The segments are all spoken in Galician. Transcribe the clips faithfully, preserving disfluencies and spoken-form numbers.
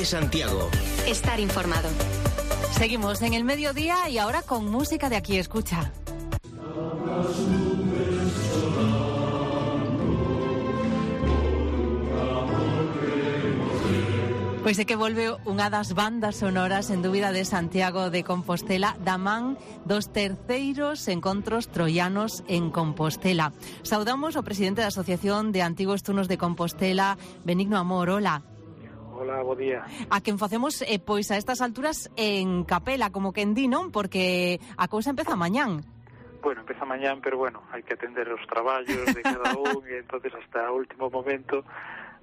Cope Santiago. Estar informado. Seguimos en el mediodía y ahora con música de Aquí Escucha. Pois é que volve unha das bandas sonoras en dúbida de Santiago de Compostela, da man dos terceiros encontros troianos en Compostela. Saudamos ao presidente da Asociación de Antigos Turnos de Compostela, Benigno Amor. Hola. Hola, bo día. A quen facemos, eh, pois a estas alturas en capela, como quen di, non? Porque a cousa empeza mañán. Bueno, empeza mañán, pero bueno, hai que atender os traballos de cada un e entonces hasta o último momento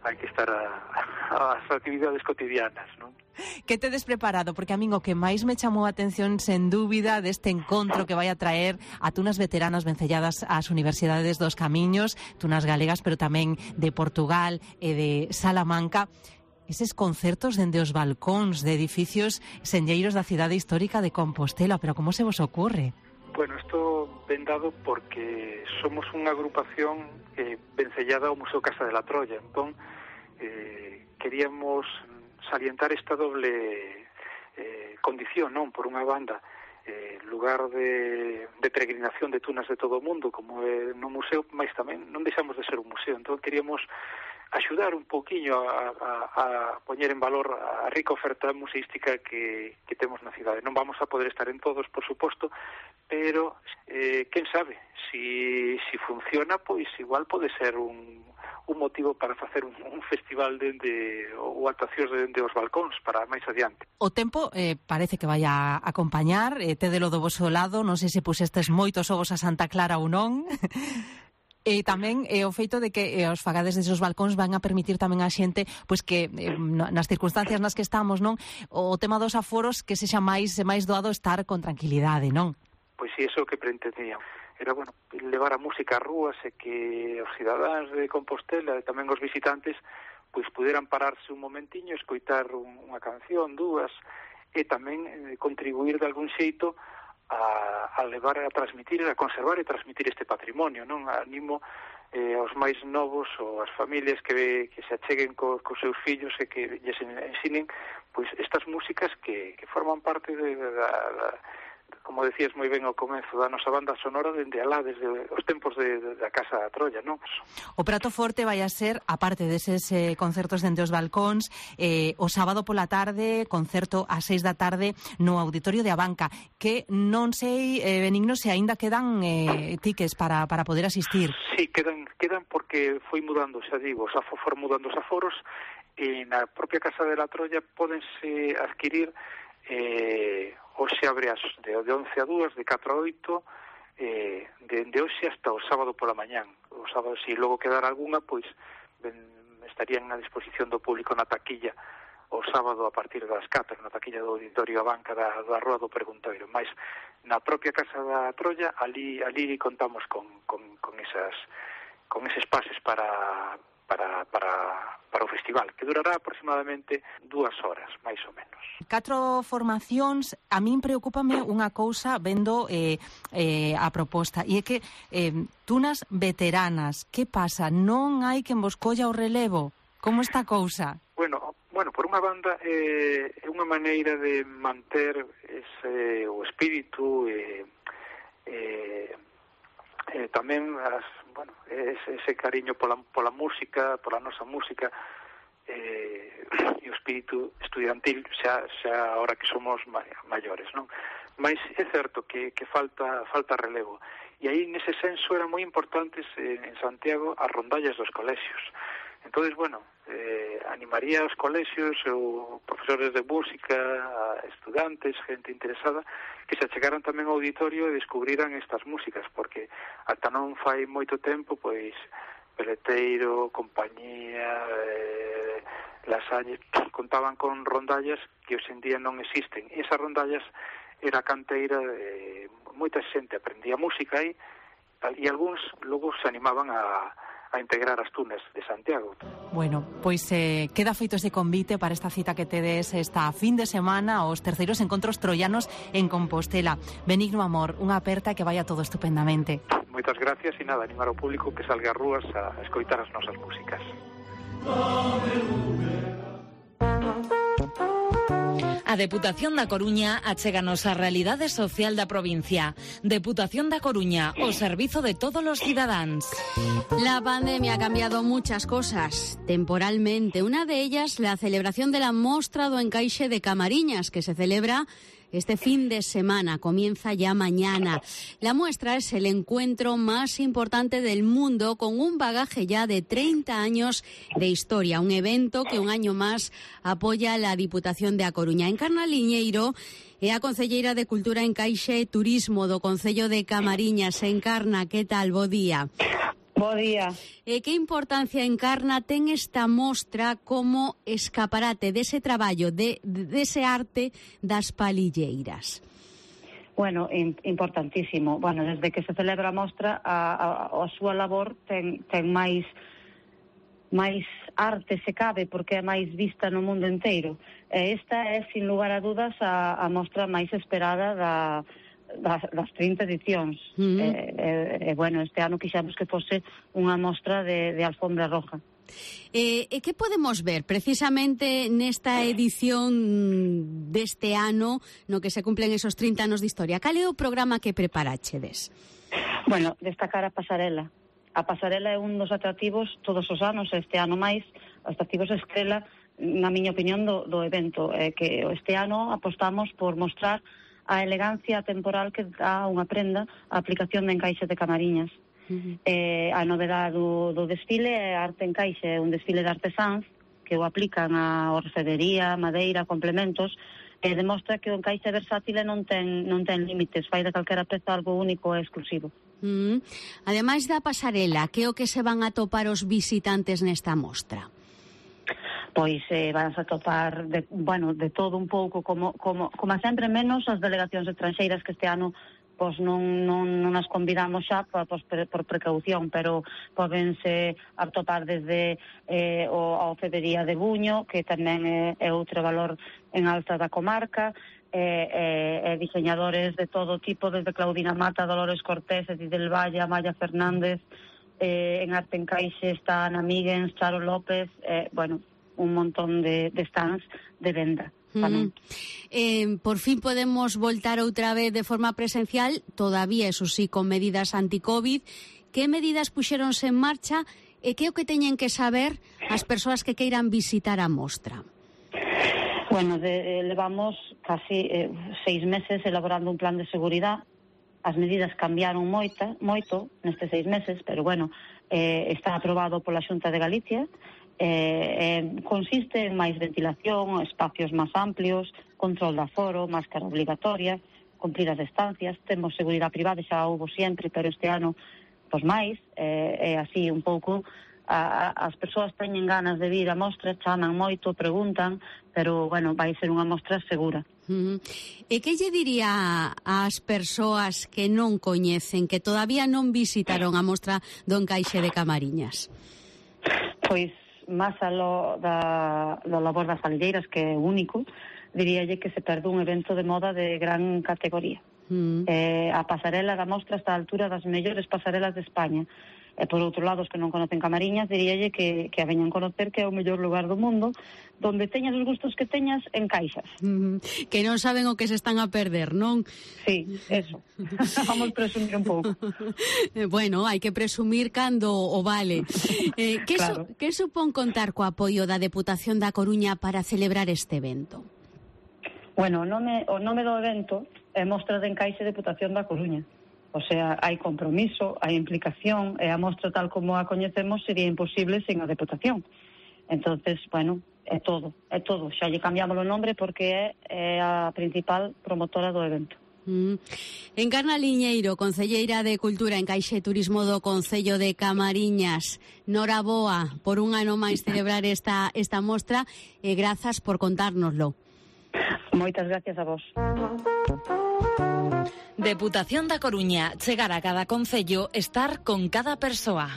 hai que estar a, a, as actividades cotidianas, non? Que tedes preparado? Porque a min o que máis me chamou a atención, sen dúbida, deste encontro que vai a traer a tunas veteranas vencelladas ás universidades dos camiños, tunas galegas, pero tamén de Portugal e de Salamanca, eses concertos dende os balcóns de edificios senlleiros da cidade histórica de Compostela. Pero como se vos ocurre? Bueno, isto ven dado porque somos unha agrupación eh, vencellada ao Museo Casa de la Troya. Entón, eh, queríamos salientar esta doble eh, condición, non? Por unha banda, eh, lugar de, de peregrinación de tunas de todo o mundo, como é no museo, mas tamén non deixamos de ser un museo. Entón, queríamos axudar un pouquiño a, a, a poñer en valor a rica oferta museística que, que temos na cidade. Non vamos a poder estar en todos, por suposto, pero eh, quen sabe, si, si funciona, pois igual pode ser un, un motivo para facer un, un festival dende ou actuacións dende os balcóns para máis adiante. O tempo eh, parece que vai a acompañar, eh, tedelo do voso lado, non sei se pusestes moitos ovos a Santa Clara ou non. E tamén eh, o feito de que eh, os fagades deses balcóns van a permitir tamén a xente pois que eh, nas circunstancias nas que estamos, non, o tema dos aforos que sexa máis máis doado estar con tranquilidade, non? Pois si, iso que pretendíamos. Era, bueno, levar a música a rúas e que os cidadáns de Compostela e tamén os visitantes pois puderan pararse un momentiño, escoitar un, unha canción, dúas, e tamén eh, contribuir de algún xeito A, a levar, a transmitir, a conservar e transmitir este patrimonio, non? Animo eh, aos máis novos ou as familias que, que se acheguen co, cos seus fillos e que lles ensinen pois estas músicas que, que forman parte de, de, de, de como decías moi ben ao comezo da nosa banda sonora dende alá, desde os tempos de, de, da Casa da Troya, non? O prato forte vai a ser, aparte deses eh, concertos dende os balcóns, eh, o sábado pola tarde, concerto ás seis da tarde no Auditorio de Abanca, que non sei, eh, Benigno, se aínda quedan eh, tickets para, para poder asistir. Sí, quedan, quedan porque foi mudando, xa digo, xa for mudando os aforos, e na propia Casa de la Troya pódense adquirir eh, hoxe abre as de, de once a dúas, de catro a oito, eh, de, de hoxe hasta o sábado pola mañán. O sábado, se si logo quedara algunha, pois ben, estarían a disposición do público na taquilla o sábado a partir das catro, na taquilla do Auditorio Abanca da, da Rúa do Preguntoiro. Mais na propia Casa da Troya, ali, ali contamos con, con, con, esas, con eses pases para... Para, para, para o festival, que durará aproximadamente dúas horas, máis ou menos. Catro formacións, a min preocúpame unha cousa vendo eh, eh, a proposta, e é que eh, tunas veteranas, que pasa? Non hai quen vos colla o relevo? Como está a cousa? Bueno, bueno, por unha banda eh, é unha maneira de manter ese, o espírito e eh, eh, tamén as bueno, ese, ese cariño pola, pola música, pola nosa música, eh, e o espírito estudiantil xa, xa ahora que somos maiores, non? Mas é certo que, que falta, falta relevo. E aí, nese senso, eran moi importantes eh, en Santiago as rondallas dos colexios. Entonces, bueno, eh, animaría aos colexios ou profesores de música, a estudantes, gente interesada, que se achegaran tamén ao auditorio e descubriran estas músicas, porque ata non fai moito tempo, pois, Peleteiro, Compañía, eh, Lasalle, contaban con rondallas que hoxe en día non existen. E esas rondallas era canteira de moita xente, aprendía música aí, e algúns logo se animaban a a integrar as tunas de Santiago. Bueno, pois eh, queda feito ese convite para esta cita que tedes esta fin de semana aos terceiros encontros troianos en Compostela. Benigno Amor, unha aperta que vaya todo estupendamente. Moitas gracias e nada, animar ao público que salga ás rúas a escoitar as nosas músicas. A Deputación da Coruña achéganos a realidade social da provincia. Deputación da Coruña, o servizo de todos los cidadáns. La pandemia ha cambiado muchas cosas, temporalmente. Una de ellas, la celebración de la Mostra do Encaixe de Camariñas, que se celebra este fin de semana, comienza ya mañana. La muestra es el encuentro más importante del mundo, con un bagaje ya de treinta años de historia. Un evento que un año más apoya la Diputación de A Coruña. Encarna Liñeiro é a concelleira de Cultura, Encaixe e Turismo do Concello de Camariñas. Encarna, que tal? Bo día. Bo día. E que importancia, Encarna, ten esta mostra como escaparate dese traballo, de, dese arte das palilleiras? Bueno, importantísimo. Bueno, desde que se celebra a mostra, a, a, a súa labor ten, ten máis máis arte, se cabe, porque é máis vista no mundo inteiro. E esta é, sin lugar a dudas, a, a mostra máis esperada da Das, das trinta edicións. Mm. E, e, bueno, este ano quixemos que fose unha mostra de, de alfombra roja. E, e que podemos ver precisamente nesta edición deste ano no que se cumplen esos trinta anos de historia? Cal é o programa que preparachedes? Bueno, destacar a pasarela. A pasarela é un dos atractivos todos os anos, este ano máis, os atractivos estrela, na miña opinión, do, do evento. É que este ano apostamos por mostrar a elegancia temporal que dá unha prenda a aplicación de encaixe de Camariñas. Uh-huh. Eh, a novedade do, do desfile é arte encaixe, é un desfile de artesáns que o aplican a orfebrería, madeira, complementos, e demostra que o encaixe versátil non ten, non ten límites, fai de calquera peza algo único e exclusivo. Uh-huh. Ademais da pasarela, que é o que se van a topar os visitantes nesta mostra? Pois eh, vas a topar de, bueno, de todo un pouco, como, como, como sempre, menos as delegacións estranxeiras, que este ano pois non, non, non as convidamos xa por, por, por precaución, pero pódense atopar desde eh, o, a Ofedería de Buño, que tamén é, é outro valor en alta da comarca, e eh, eh, diseñadores de todo tipo, desde Claudina Mata, Dolores Cortés, Edith del Valle, Maya Fernández, eh, en arte encaixe está Ana Míguens, Charo López, eh, bueno, un montón de, de stands de venda. Uh-huh. Eh, por fin podemos voltar outra vez de forma presencial, todavía, eso sí, con medidas anti-COVID. Que medidas puxeronse en marcha e que é o que teñen que saber as persoas que queiran visitar a mostra? Bueno, de, eh, levamos casi eh, seis meses elaborando un plan de seguridade. As medidas cambiaron moita, moito nestes seis meses, pero bueno, eh, está aprobado pola Xunta de Galicia. Eh, eh, consiste en máis ventilación, espacios máis amplios, control de aforo, máscara obligatoria, cumprir as distancias, temos seguridade privada, xa houbo sempre, pero este ano pois máis, é eh, eh, así un pouco, a, a, as persoas teñen ganas de vir a mostra, chaman moito, preguntan, pero bueno, vai ser unha mostra segura. Uh-huh. E que lle diría ás persoas que non coñecen, que todavía non visitaron a mostra do Encaixe de Camariñas? Pois máis aló da, da labor das palilleiras, que é único, diríalle que se perde un evento de moda de gran categoría. Mm. Eh, a pasarela da mostra está a altura das mellores pasarelas de España. E por outro lado, os que non conocen Camariñas, diríalle que, que a veñan conocer, que é o mellor lugar do mundo, donde teñas os gustos que teñas, encaixas. Mm, que non saben o que se están a perder, non? Sí, eso. Vamos presumir un pouco. Bueno, hai que presumir cando o vale. Eh, que, claro. su, que supón contar co apoio da Deputación da Coruña para celebrar este evento? Bueno, o nome, o nome do evento é Mostra de Encaixe Deputación da Coruña. O sea, hai compromiso, hai implicación, e a mostra tal como a coñecemos sería imposible sen a Deputación. Entonces, bueno, é todo, é todo. Xa lle cambiamos o nombre porque é, é a principal promotora do evento. Mm. Encarna Liñeiro, concelleira de Cultura, Encaixe e Turismo do Concello de Camariñas. Noraboa por un ano máis celebrar esta, esta mostra, e grazas por contárnoslo. Moitas gracias a vos. Deputación da Coruña, chegar a cada concello, estar con cada persoa.